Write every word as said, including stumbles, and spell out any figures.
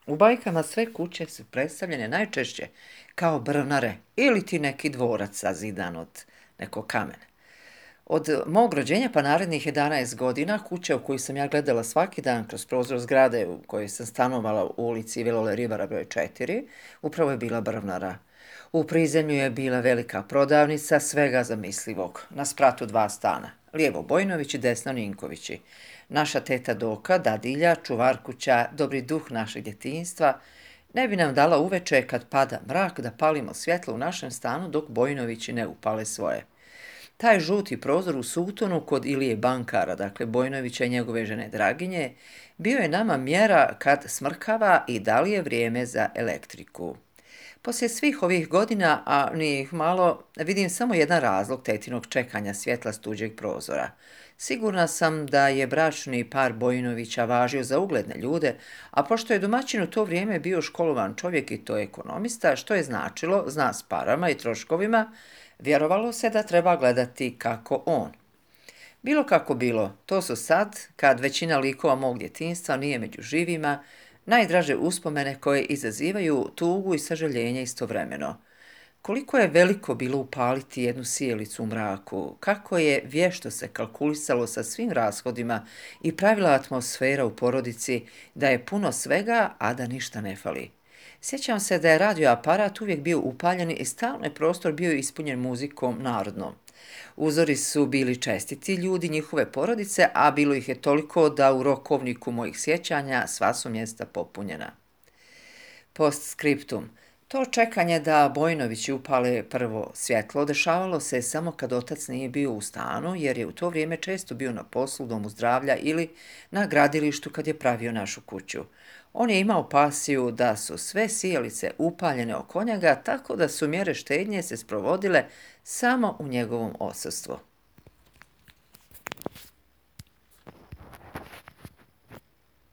U bajkama sve kuće su predstavljene najčešće kao brvnare ili ti neki dvorac sazidan od nekog kamena. Od mog rođenja pa narednih jedanaest godina kuća u koju sam ja gledala svaki dan kroz prozor zgrade u kojoj sam stanovala u ulici Vilole Rivara broj četiri, upravo je bila brvnara. U prizemlju je bila velika prodavnica svega zamislivog, na spratu dva stana, lijevo Bojnović i desno Ninkovići. Naša teta Doka, dadilja, čuvarkuća, dobri duh našeg djetinjstva, ne bi nam dala uveče kad pada mrak da palimo svjetlo u našem stanu dok Bojnovići ne upale svoje. Taj žuti prozor u Sutonu kod Ilije Bankara, dakle Bojnovića i njegove žene Draginje, bio je nama mjera kad smrkava i da li je vrijeme za elektriku. Poslije svih ovih godina, a nije ih malo, vidim samo jedan razlog tetinog čekanja svjetla s tuđeg prozora. Sigurna sam da je bračni par Bojnovića važio za ugledne ljude, a pošto je domaćin u to vrijeme bio školovan čovjek i to ekonomista, što je značilo, zna s parama i troškovima, vjerovalo se da treba gledati kako on. Bilo kako bilo, to su sad, kad većina likova mog djetinjstva nije među živima, najdraže uspomene koje izazivaju tugu i sažaljenje istovremeno. Koliko je veliko bilo upaliti jednu sijalicu u mraku, kako je vješto se kalkulisalo sa svim rashodima i pravila atmosfera u porodici da je puno svega, a da ništa ne fali. Sjećam se da je radioaparat uvijek bio upaljen i stalno je prostor bio ispunjen muzikom narodnom. Uzori su bili čestiti ljudi njihove porodice, a bilo ih je toliko da u rokovniku mojih sjećanja sva su mjesta popunjena. Postscriptum. To čekanje da Bojnovići upale prvo svjetlo dešavalo se samo kad otac nije bio u stanu, jer je u to vrijeme često bio na poslu, domu zdravlja ili na gradilištu kad je pravio našu kuću. On je imao pasiju da su sve sijalice upaljene oko njega, tako da su mjere štednje se sprovodile samo u njegovom odsustvu.